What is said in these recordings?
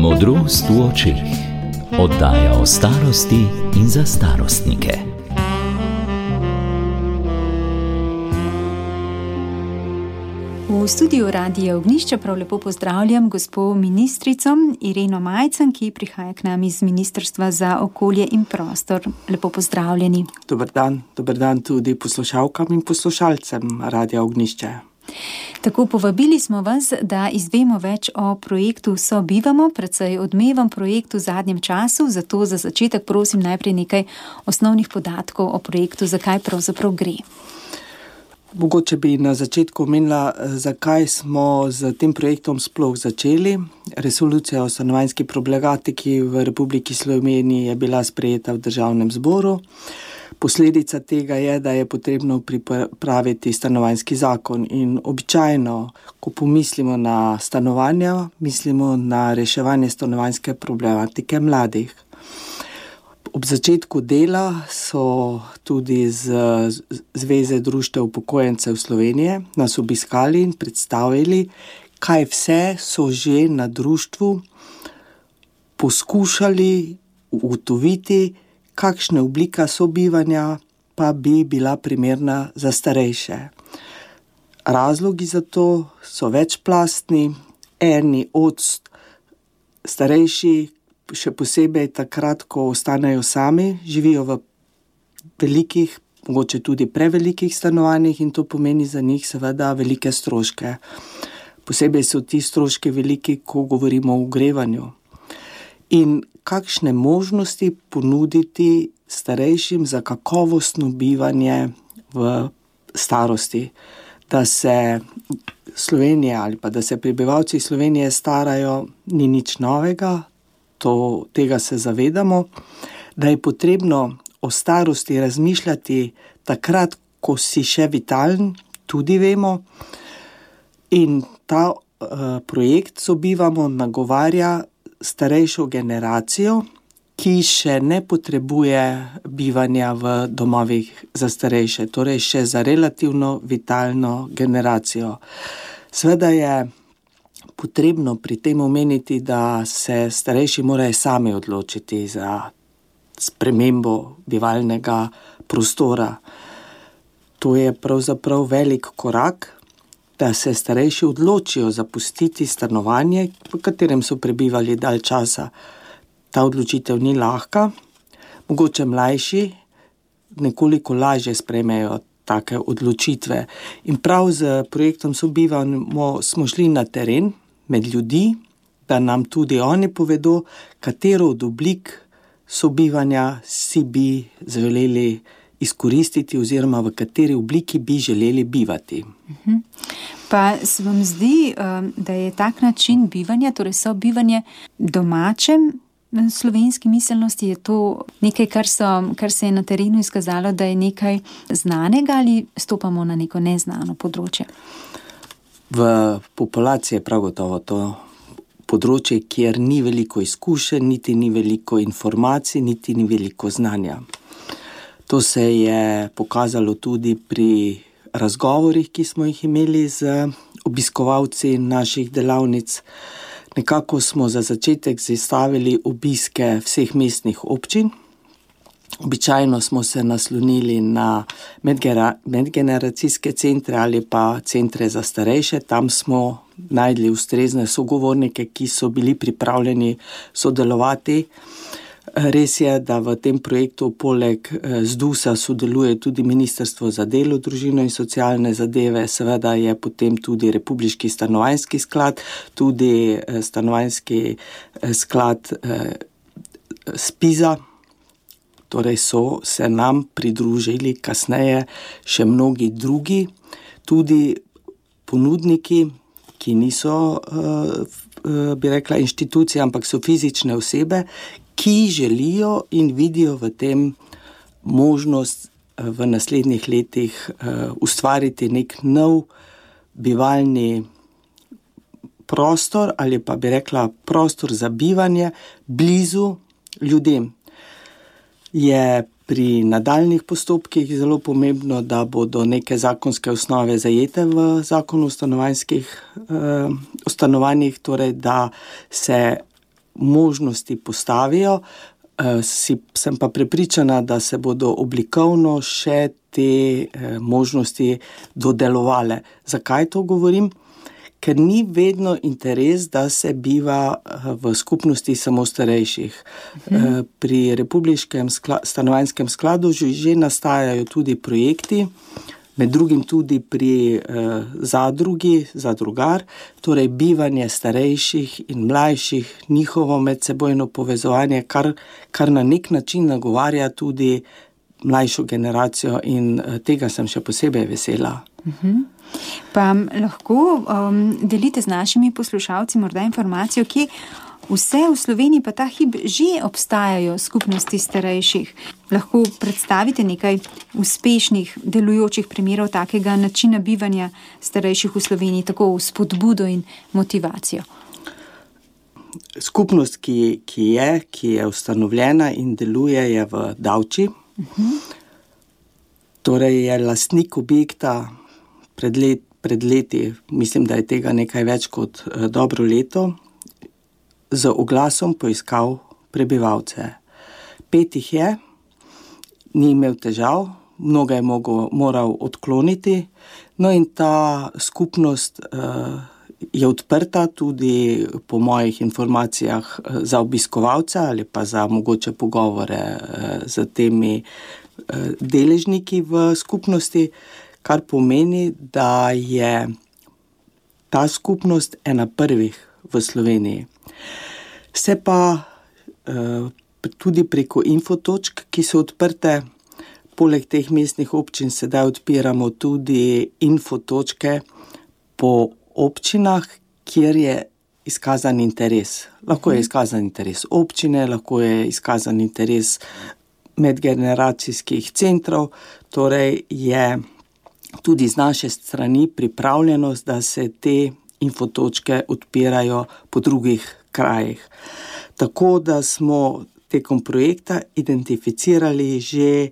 Modrost v očeh. Oddaja o starosti in za starostnike. V studiu Radia Ognjišče prav lepo pozdravljam gospo ministrico Ireno Majcen, ki prihaja k nam iz Ministrstva za okolje in prostor. Lepo pozdravljeni. Dober dan tudi poslušalkam in poslušalcem Radia Ognjišče. Tako, povabili smo vas, da izvemo več o projektu Sobivamo, precej odmevam projektu v zadnjem času, zato za začetek prosim najprej nekaj osnovnih podatkov o projektu, zakaj pravzaprav gre. Mogoče bi na začetku omenila, zakaj smo z tem projektom sploh začeli. Resolucija o stanovanjski problematiki v Republiki Sloveniji je bila sprejeta v Državnem zboru. Posledica tega je, da je potrebno pripraviti stanovanjski zakon in običajno, ko pomislimo na stanovanja, mislimo na reševanje stanovanjske problematike mladih. Ob začetku dela so tudi z Zveze društev upokojencev Slovenije nas obiskali in predstavili, kaj vse so že na društvu poskušali ugotoviti, kakšna oblika sobivanja pa bi bila primerna za starejše. Razlogi za to so večplastni. Eni od starejših, še posebej takrat, ko ostanejo sami, živijo v velikih, mogoče tudi prevelikih stanovanjih in to pomeni za njih seveda velike stroške. Posebej so ti stroški veliki, ko govorimo o ogrevanju. In kakšne možnosti ponuditi starejšim za kakovostno bivanje v starosti, da se Slovenija ali pa da se prebivalci Slovenije starajo, ni nič novega. Tega se zavedamo, da je potrebno o starosti razmišljati takrat, ko si še vitalen, tudi vemo. In ta projekt Sobivamo nagovarja starejšo generacijo, ki še ne potrebuje bivanja v domovih za starejše, torej še za relativno vitalno generacijo. Seveda je potrebno pri tem omeniti, da se starejši morajo sami odločiti za spremembo bivalnega prostora. To je pravzaprav velik korak, da se starejši odločijo zapustiti stanovanje, v katerem so prebivali dalj časa. Ta odločitev ni lahka. Mogoče mlajši nekoliko lažje sprejmejo take odločitve. In prav z projektom Sobivamo smo šli na teren, med ljudi, da nam tudi oni povedo, katero od oblik sobivanja si bi želeli izkoristiti oziroma v kateri obliki bi želeli bivati. Pa se vam zdi, da je tak način bivanja, torej sobivanje domačem slovenski miselnosti, je to nekaj, kar se je na terenu izkazalo, da je nekaj znanega ali stopamo na neko neznano področje? V populaciji je prav gotovo to področje, kjer ni veliko izkušenj, niti ni veliko informacij, niti ni veliko znanja. To se je pokazalo tudi pri razgovorih, ki smo jih imeli z obiskovalci naših delavnic. Nekako smo za začetek zastavili obiske vseh mestnih občin. Običajno smo se naslonili na medgeneracijske centre ali pa centre za starejše. Tam smo najdli ustrezne sogovornike, ki so bili pripravljeni sodelovati. Res je, da v tem projektu poleg ZDUS-a sodeluje tudi Ministrstvo za delo, družino in socialne zadeve, seveda je potem tudi Republiški stanovanjski sklad, tudi stanovanjski sklad SPIZ-a. Torej so se nam pridružili kasneje še mnogi drugi, tudi ponudniki, ki niso, bi rekla, inštitucije, ampak so fizične osebe, ki želijo in vidijo v tem možnost v naslednjih letih ustvariti nek nov bivalni prostor ali pa bi rekla prostor za bivanje blizu ljudem. Je pri nadaljnjih postopkih zelo pomembno, da bodo neke zakonske osnove zajete v zakonu o stanovanjih, torej da se možnosti postavijo, sem pa prepričana, da se bodo oblikovno še te možnosti dodelovale. Zakaj to govorim? Ker ni vedno interes, da se biva v skupnosti samo starejših. Pri Republiškem stanovanjskem skladu že nastajajo tudi projekti, med drugim tudi pri zadrugi, zadrugar, torej bivanje starejših in mlajših, njihovo medsebojno povezovanje, kar na nek način nagovarja tudi mlajšo generacijo in tega sem še posebej vesela. Pa lahko delite z našimi poslušalci morda informacijo, kje vse v Sloveniji pa ta hip že obstajajo skupnosti starejših. Lahko predstavite nekaj uspešnih, delujočih primerov takega načina bivanja starejših v Sloveniji, tako v spodbudo in motivacijo. Skupnost, ki je ustanovljena in deluje, je v Davči. Torej je lastnik objekta pred leti, mislim, da je tega nekaj več kot dobro leto, z oglasom poiskal prebivalce. 5 jih je, ni imel težav, mnoga je moral odkloniti, no in ta skupnost je odprta tudi po mojih informacijah za obiskovalca ali pa za mogoče pogovore z temi deležniki v skupnosti, kar pomeni, da je ta skupnost ena prvih v Sloveniji. Se pa tudi preko infotočk, ki so odprte, poleg teh mestnih občin sedaj odpiramo tudi infotočke po občinah, kjer je izkazan interes. Lahko je izkazan interes občine, lahko je izkazan interes medgeneracijskih centrov, torej je tudi z naše strani pripravljenost, da se te infotočke odpirajo po drugih krajih. Tako da smo tekom projekta identificirali že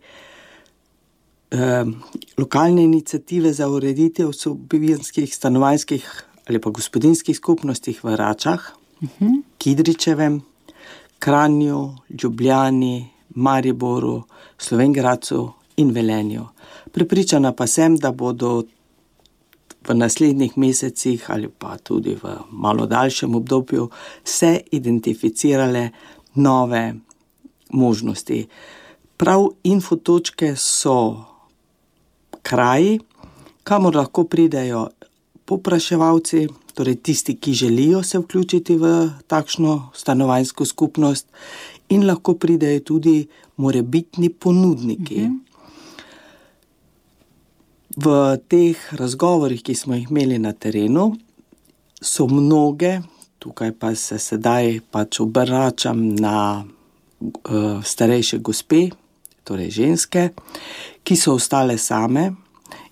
lokalne iniciative za ureditev sobivanjskih, stanovanjskih ali pa gospodinjskih skupnostih v Račah, Kidričevem, Kranju, Ljubljani, Mariboru, Slovenj Gradcu in Velenju. Prepričana pa sem, da bodo v naslednjih mesecih ali pa tudi v malo daljšem obdobju se identificirale nove možnosti. Prav infotočke so kraji, kamor lahko pridejo povpraševalci, torej tisti, ki želijo se vključiti v takšno stanovanjsko skupnost, in lahko pridejo tudi morebitni ponudniki. V teh razgovorih, ki smo jih imeli na terenu, so mnoge, tukaj pa se sedaj obračam na starejše gospe, torej ženske, ki so ostale same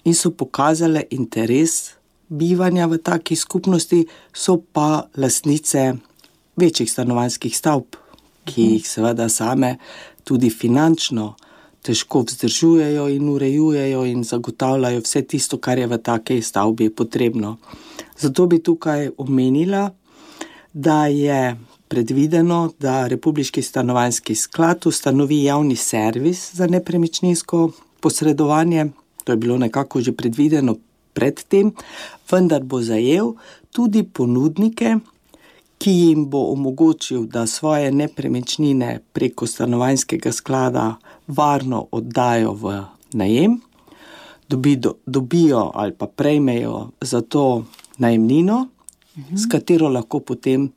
in so pokazale interes bivanja v taki skupnosti, so pa lastnice večjih stanovanjskih stavb, ki jih seveda same tudi finančno težko vzdržujejo in urejujejo in zagotavljajo vse tisto, kar je v takej stavbi potrebno. Zato bi tukaj omenila, da je predvideno, da Republiški stanovanjski sklad ustanovi javni servis za nepremičninsko posredovanje. To je bilo nekako že predvideno predtem, vendar bo zajel tudi ponudnike, ki jim bo omogočil, da svoje nepremičnine preko stanovanjskega sklada varno oddajo v najem, dobijo ali pa prejmejo za to najemnino, s katero lahko potem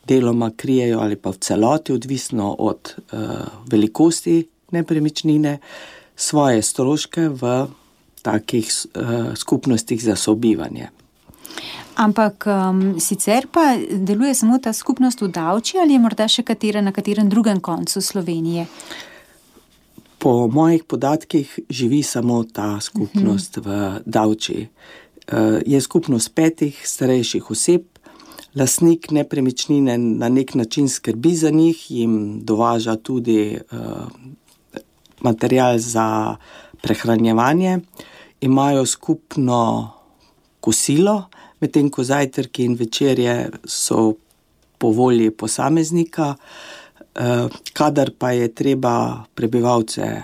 deloma krijejo ali pa v celoti, odvisno od velikosti nepremičnine, svoje stroške v takih skupnostih za sobivanje. Ampak sicer pa deluje samo ta skupnost v Davči ali je morda še na katerem drugem koncu Slovenije? Po mojih podatkih živi samo ta skupnost v Davči. Je skupnost 5 starejših oseb, lastnik nepremičnine na nek način skrbi za njih, jim dovaža tudi material za prehranjevanje, imajo skupno kosilo, medtem ko zajtrki in večerje so po volji posameznika, kadar pa je treba prebivalce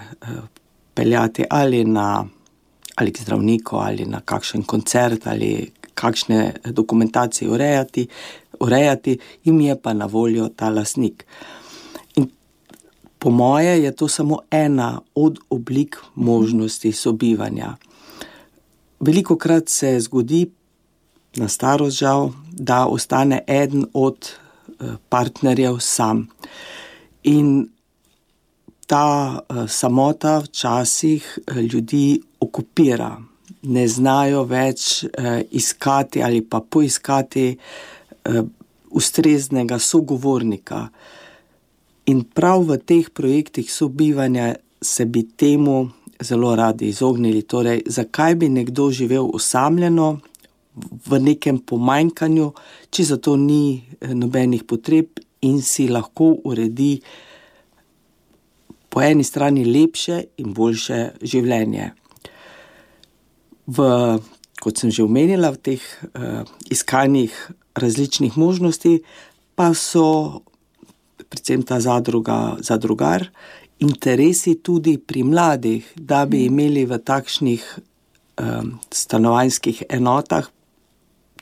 peljati ali k zdravniku, ali na kakšen koncert, ali kakšne dokumentacije urejati, jim je pa na voljo ta lastnik. In po moje je to samo ena od oblik možnosti sobivanja. Velikokrat se zgodi, na starost žal, da ostane eden od partnerjev sam. In ta samota včasih ljudi okupira. Ne znajo več iskati ali pa poiskati ustreznega sogovornika. In prav v teh projektih sobivanja se bi temu zelo radi izognili. Torej, zakaj bi nekdo živel osamljeno, v nekem pomanjkanju, če za to ni nobenih potreb in si lahko uredi po eni strani lepše in boljše življenje. Kot sem že omenila, v teh iskanjih različnih možnosti pa so predvsem ta zadrugar, interesi tudi pri mladih, da bi imeli v takšnih stanovanjskih enotah,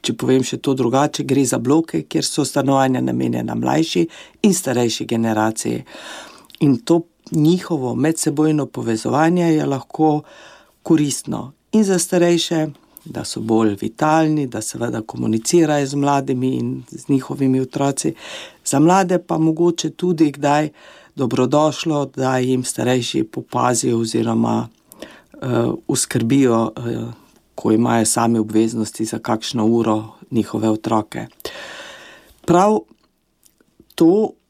če povem še to drugače, gre za bloke, kjer so stanovanja namenjena mlajši in starejši generaciji. In to njihovo medsebojno povezovanje je lahko koristno in za starejše, da so bolj vitalni, da seveda komunicirajo z mladimi in z njihovimi otroci. Za mlade pa mogoče tudi kdaj dobrodošlo, da jim starejši popazijo oziroma uskrbijo, ko imajo sami obveznosti za kakšno uro njihove otroke. Prav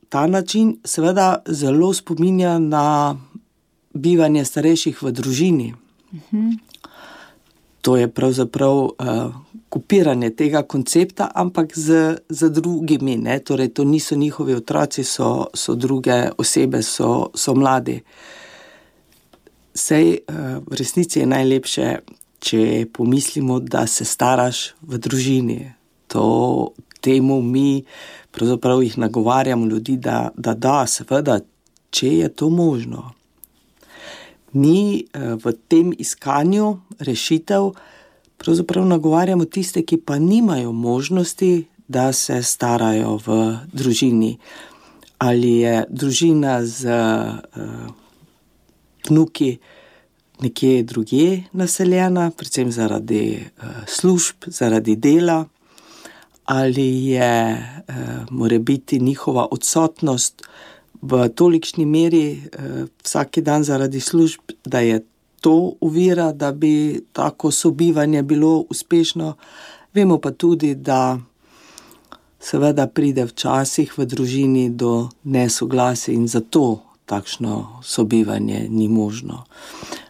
ta način seveda zelo spominja na bivanje starejših v družini. To je pravzaprav kopiranje tega koncepta, ampak z drugimi, ne? Torej, to niso njihovi otroci, so druge osebe, so mladi. Sej v resnici je najlepše, če pomislimo, da se staraš v družini. Temu mi pravzaprav jih nagovarjamo ljudi, da seveda, če je to možno. Mi v tem iskanju rešitev pravzaprav nagovarjamo tiste, ki pa nimajo možnosti, da se starajo v družini. Ali je družina z vnuki nekje drugje naseljena, predvsem zaradi služb, zaradi dela, ali je morebiti njihova odsotnost v tolikšni meri vsak dan zaradi služb, da je to ovira, da bi tako sobivanje bilo uspešno. Vemo pa tudi, da seveda pride včasih v družini do nesoglasij in zato takšno sobivanje ni možno.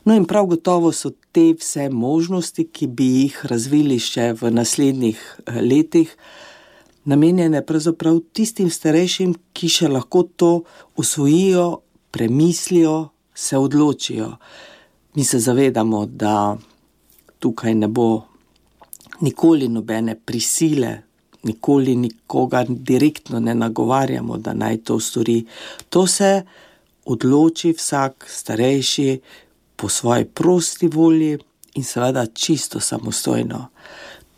No in prav gotovo so te vse možnosti, ki bi jih razvili še v naslednjih letih, namenjene pravzaprav tistim starejšim, ki še lahko to usvojijo, premislijo, se odločijo. Mi se zavedamo, da tukaj ne bo nikoli nobene prisile, nikoli nikogar direktno ne nagovarjamo, da naj to stori. To se odloči vsak starejši po svoji prosti volji in seveda čisto samostojno.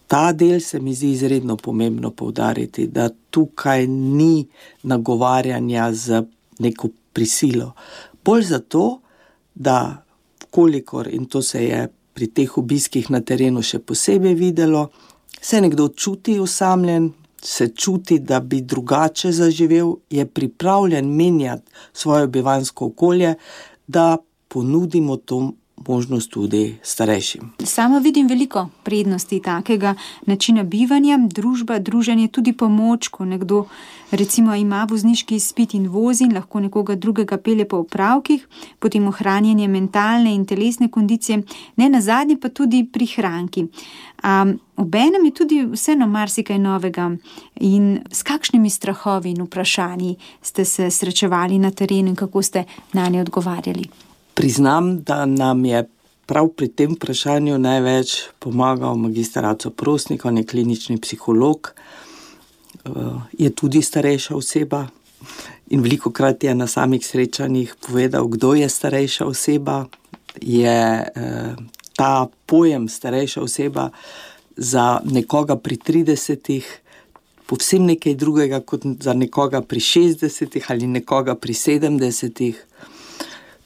Ta del se mi zdi izredno pomembno poudariti, da tukaj ni nagovarjanja z neko prisilo. Bolj zato, da kolikor, in to se je pri teh obiskih na terenu še posebej videlo, se nekdo čuti osamljen, se čuti, da bi drugače zaživel, je pripravljen menjati svoje bivanjsko okolje, da ponudimo to možnost tudi starejšim. Sama vidim veliko prednosti takega načina bivanja, družba, druženje, tudi pomoč, ko nekdo recimo ima vozniški izpit in vozi in lahko nekoga drugega pelje po opravkih, potem ohranjanje mentalne in telesne kondicije, ne nazadnje pa tudi prihranki. Obenem je tudi vseeno marsikaj novega. In s kakšnimi strahovi in vprašanji ste se srečevali na terenu in kako ste nanje odgovarjali? Priznam, da nam je prav pri tem vprašanju največ pomagal magister Aco Prosnik, on je klinični psiholog. je tudi starejša oseba in velikokrat je na samih srečanjih povedal, kdo je starejša oseba. Je ta pojem starejša oseba za nekoga pri 30 povsem nekaj drugega kot za nekoga pri 60 ali nekoga pri 70.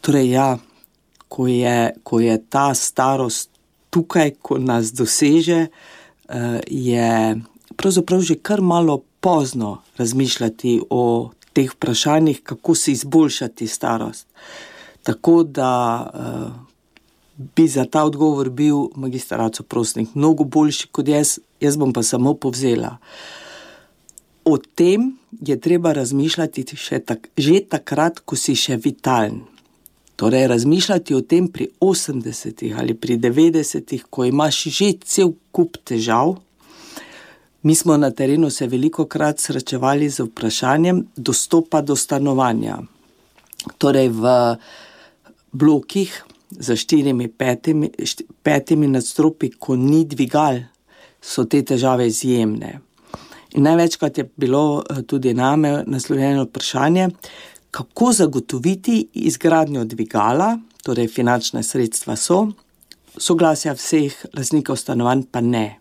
Torej ja, ko je ta starost tukaj, ko nas doseže, je pravzaprav že kar malo pozno razmišljati o teh vprašanjih, kako si izboljšati starost. Tako da bi za ta odgovor bil magister Aco Prosnik mnogo boljši kot jaz bom pa samo povzela. O tem je treba razmišljati že takrat, ko si še vitalen. Torej, razmišljati o tem pri 80 ali pri 90, ko imaš že cel kup težav. Mi smo na terenu se velikokrat srečevali z vprašanjem dostopa do stanovanja. Torej, v blokih za 4-5 nadstropji, ko ni dvigal, so te težave izjemne. In največkrat je bilo tudi name naslovljeno vprašanje, kako zagotoviti izgradnjo dvigala, torej finančne sredstva so, soglasja vseh lastnikov stanovanj pa ne.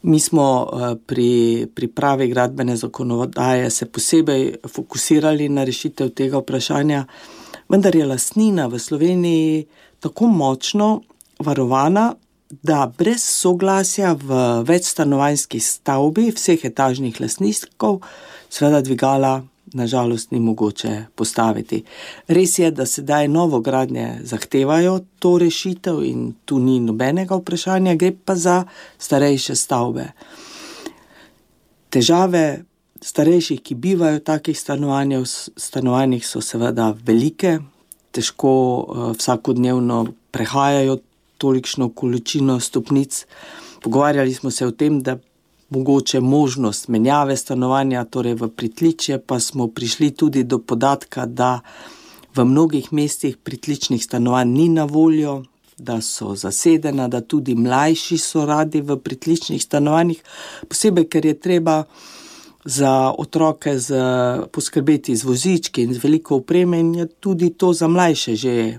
Mi smo pri pripravi gradbene zakonodaje se posebej fokusirali na rešitev tega vprašanja, vendar je lastnina v Sloveniji tako močno varovana, da brez soglasja v večstanovanjski stavbi vseh etažnih lastnikov seveda dvigala nažalost ni mogoče postaviti. Res je, da sedaj novogradnje zahtevajo to rešitev in tu ni nobenega vprašanja, gre pa za starejše stavbe. Težave starejših, ki bivajo v takih stanovanjih, so seveda velike, težko vsakodnevno prehajajo tolikšno količino stopnic. Pogovarjali smo se o tem, da mogoče možnost menjave stanovanja, torej v pritličje, pa smo prišli tudi do podatka, da v mnogih mestih pritličnih stanovanj ni na voljo, da so zasedena, da tudi mlajši so radi v pritličnih stanovanjih, posebej, ker je treba za otroke poskrbeti z vozički in z veliko opreme in je tudi to za mlajše že,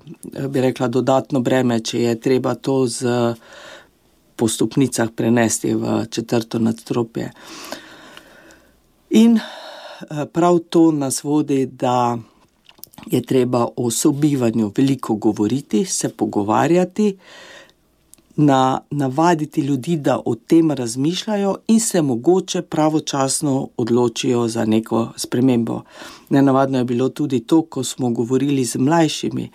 bi rekla, dodatno breme, če je treba to po stopnicah prenesti v 4. nadstropje. In prav to nas vodi, da je treba o sobivanju veliko govoriti, se pogovarjati, navaditi ljudi, da o tem razmišljajo in se mogoče pravočasno odločijo za neko spremembo. Nenavadno je bilo tudi to, ko smo govorili z mlajšimi.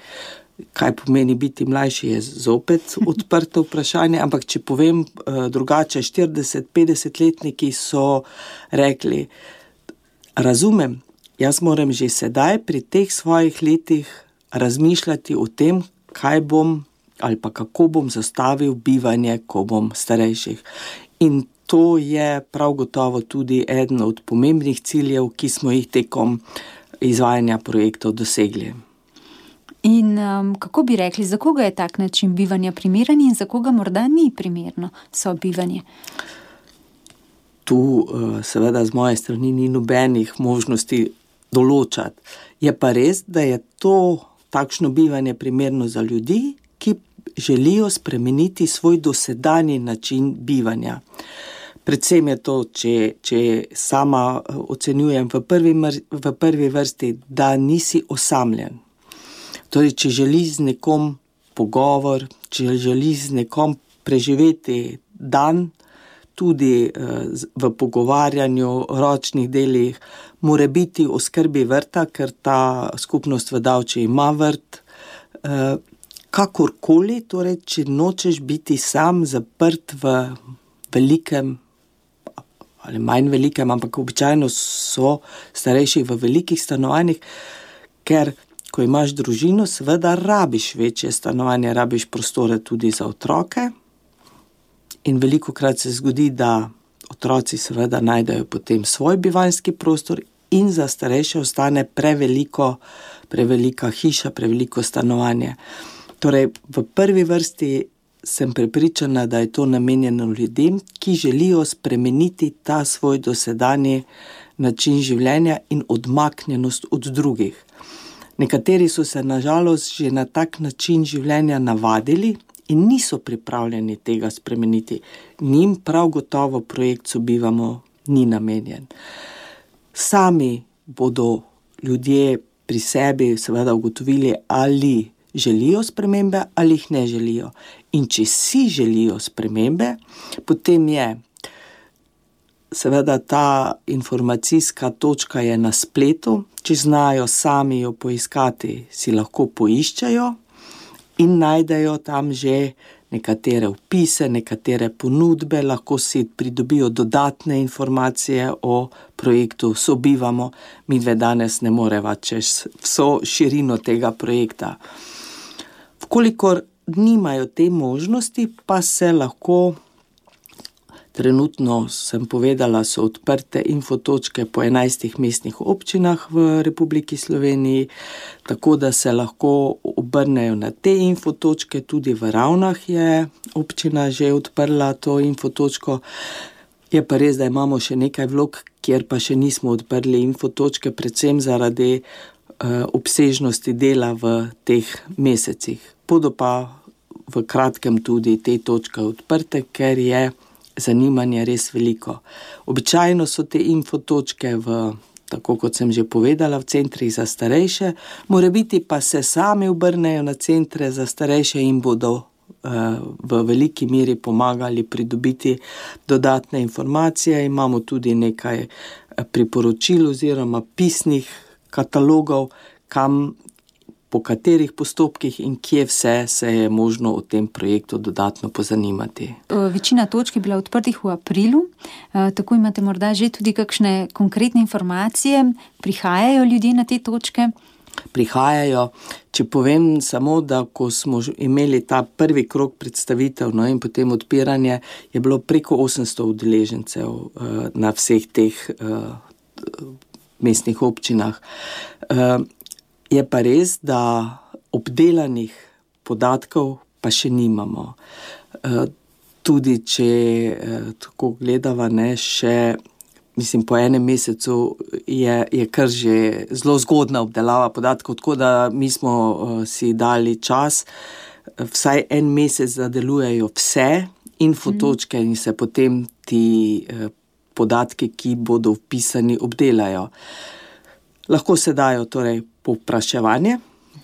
Kaj pomeni biti mlajši, je zopet odprto vprašanje, ampak če povem drugače, 40-50-letniki so rekli, razumem, jaz moram že sedaj pri teh svojih letih razmišljati o tem, kaj bom ali pa kako bom zastavil bivanje, ko bom starejših. In to je prav gotovo tudi eden od pomembnih ciljev, ki smo jih tekom izvajanja projektov dosegli. In kako bi rekli, za koga je tak način bivanja primeren in za koga morda ni primerno sobivanje? Tu seveda z moje strani ni nobenih možnosti določati. Je pa res, da je to takšno bivanje primerno za ljudi, ki želijo spremeniti svoj dosedanji način bivanja. Predvsem je to, če sama ocenjujem v prvi vrsti, da nisi osamljen. Torej, če želi z nekom pogovor, če želi z nekom preživeti dan, tudi v pogovarjanju, ročnih delih, mora biti o skrbi vrta, ker ta skupnost v Davči ima vrt. Kakorkoli, torej, če nočeš biti sam zaprt v velikem ali manj velikem, ampak običajno so starejši v velikih stanovanjih, ker ko imaš družino, seveda rabiš večje stanovanje, rabiš prostore tudi za otroke in velikokrat se zgodi, da otroci seveda najdejo potem svoj bivanjski prostor in za starejše ostane prevelika hiša, preveliko stanovanje. Torej, v prvi vrsti sem prepričana, da je to namenjeno ljudem, ki želijo spremeniti ta svoj dosedanji način življenja in odmaknjenost od drugih. Nekateri so se nažalost že na tak način življenja navadili in niso pripravljeni tega spremeniti. Njim prav gotovo projekt Sobivamo ni namenjen. Sami bodo ljudje pri sebi seveda ugotovili, ali želijo spremembe ali jih ne želijo. In če si želijo spremembe, potem je seveda ta informacijska točka je na spletu, če znajo sami jo poiskati, si lahko poiščejo in najdejo tam že nekatere vpise, nekatere ponudbe, lahko si pridobijo dodatne informacije o projektu Sobivamo. Midve danes ne moreva čez vso širino tega projekta. Vkolikor nimajo te možnosti, pa se lahko, trenutno sem povedala, so odprte infotočke po 11 mestnih občinah v Republiki Sloveniji, tako da se lahko obrnejo na te infotočke. Tudi v Ravnah je občina že odprla to infotočko. Je pa res, da imamo še nekaj vlog, kjer pa še nismo odprli infotočke, predvsem zaradi obsežnosti dela v teh mesecih. Bodo pa v kratkem tudi te točke odprte, ker je zanimanje res veliko. Običajno so te infotočke tako kot sem že povedala, v centrih za starejše, morebiti pa se sami obrnejo na centre za starejše in bodo v veliki meri pomagali pridobiti dodatne informacije. Imamo tudi nekaj priporočil oziroma pisnih katalogov, po katerih postopkih in kje vse se je možno o tem projektu dodatno pozanimati. Večina točk je bila odprtih v aprilu, tako imate morda že tudi kakšne konkretne informacije, prihajajo ljudje na te točke? Prihajajo. Če povem samo, da ko smo imeli ta prvi krog predstavitev, in potem odpiranje, je bilo preko 800 udeležencev na vseh teh mestnih občinah. Je pa res, da obdelanih podatkov pa še nimamo. Tudi če tako gledava, še po enem mesecu je kar že zelo zgodna obdelava podatkov, tako da mi smo si dali čas, vsaj en mesec, da delujejo vse infotočke in se potem ti podatki, ki bodo vpisani, obdelajo. Lahko se dajo torej povpraševanje,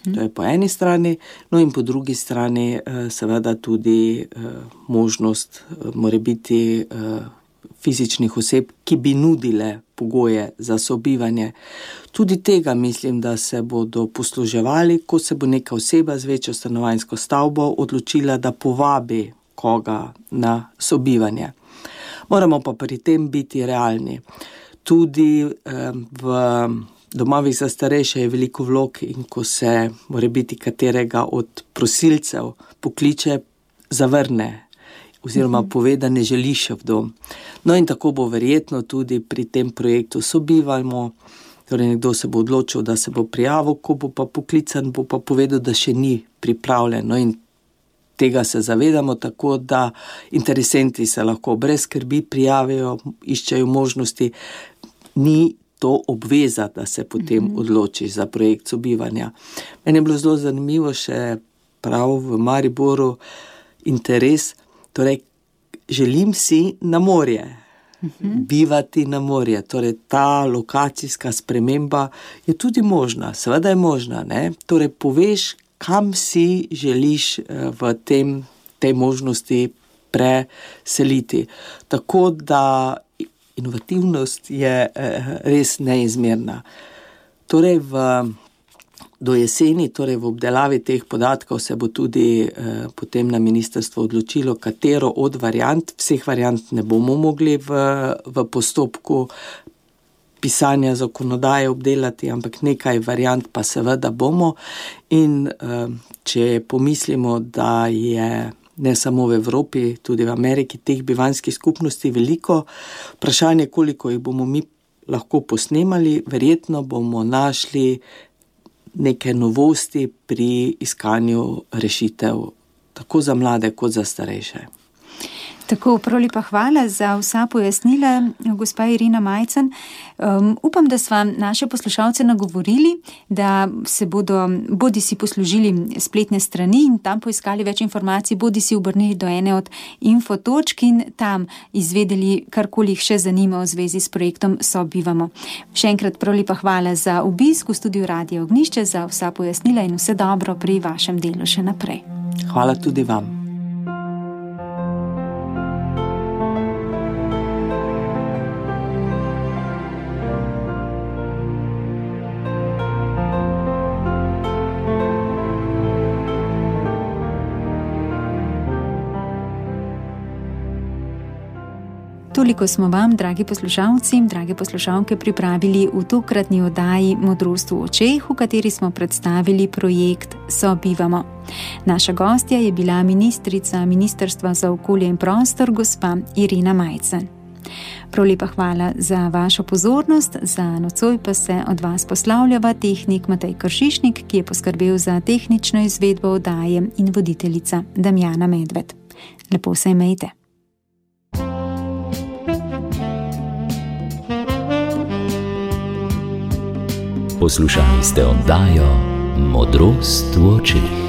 to je po eni strani, in po drugi strani seveda tudi možnost morebiti fizičnih oseb, ki bi nudile pogoje za sobivanje. Tudi tega mislim, da se bodo posluževali, ko se bo neka oseba z večjo stanovanjsko stavbo odločila, da povabi koga na sobivanje. Moramo pa pri tem biti realni. Tudi v domovih za starejše je veliko vlog in ko se morebiti katerega od prosilcev pokliče, zavrne oziroma pove, da ne želi še v dom. In tako bo verjetno tudi pri tem projektu Sobivamo. Torej nekdo se bo odločil, da se bo prijavil, ko bo pa poklican, bo pa povedal, da še ni pripravljen. In tega se zavedamo, tako da interesenti se lahko brez skrbi prijavijo, iščejo možnosti. Ni to obveza, da se potem odloči za projekt sobivanja. Meni je bilo zelo zanimivo še prav v Mariboru interes, torej želim si na morje, bivati na morje. Torej ta lokacijska sprememba je tudi možna, seveda je možna, ne? Torej poveš, kam si želiš v tej možnosti preseliti. Tako da inovativnost je res neizmerna. Torej do jeseni, torej v obdelavi teh podatkov se bo tudi potem na ministrstvo odločilo, katero od variant, vseh variant ne bomo mogli v postopku pisanja zakonodaje obdelati, ampak nekaj variant pa seveda bomo. In če pomislimo, da je ne samo v Evropi, tudi v Ameriki teh bivanjskih skupnosti veliko, vprašanje, koliko jih bomo mi lahko posnemali, verjetno bomo našli neke novosti pri iskanju rešitev tako za mlade kot za starejše. Tako, prav lepa hvala za vsa pojasnila, gospa Irena Majcen. Upam, da sva naše poslušalce nagovorili, da se bodo bodisi poslužili spletne strani in tam poiskali več informacij, bodisi obrnili do ene od infotočk in tam izvedeli, karkoli jih še zanima v zvezi s projektom Sobivamo. Še enkrat prav lepa hvala za obisk v studiu Radia Ognjišče, za vsa pojasnila in vse dobro pri vašem delu še naprej. Hvala tudi vam. Toliko smo vam, dragi poslušalci in drage poslušalke, pripravili v tokratni oddaji Modrost v očeh, v kateri smo predstavili projekt Sobivamo. Naša gostja je bila ministrica Ministrstva za okolje in prostor, gospa Irena Majcen. Prav lepa hvala za vašo pozornost, za nocoj pa se od vas poslavljava tehnik Matej Kršišnik, ki je poskrbel za tehnično izvedbo oddaje, in voditeljica Damjana Medved. Lepo se imejte. Poslušali ste oddajo Modrost v očeh.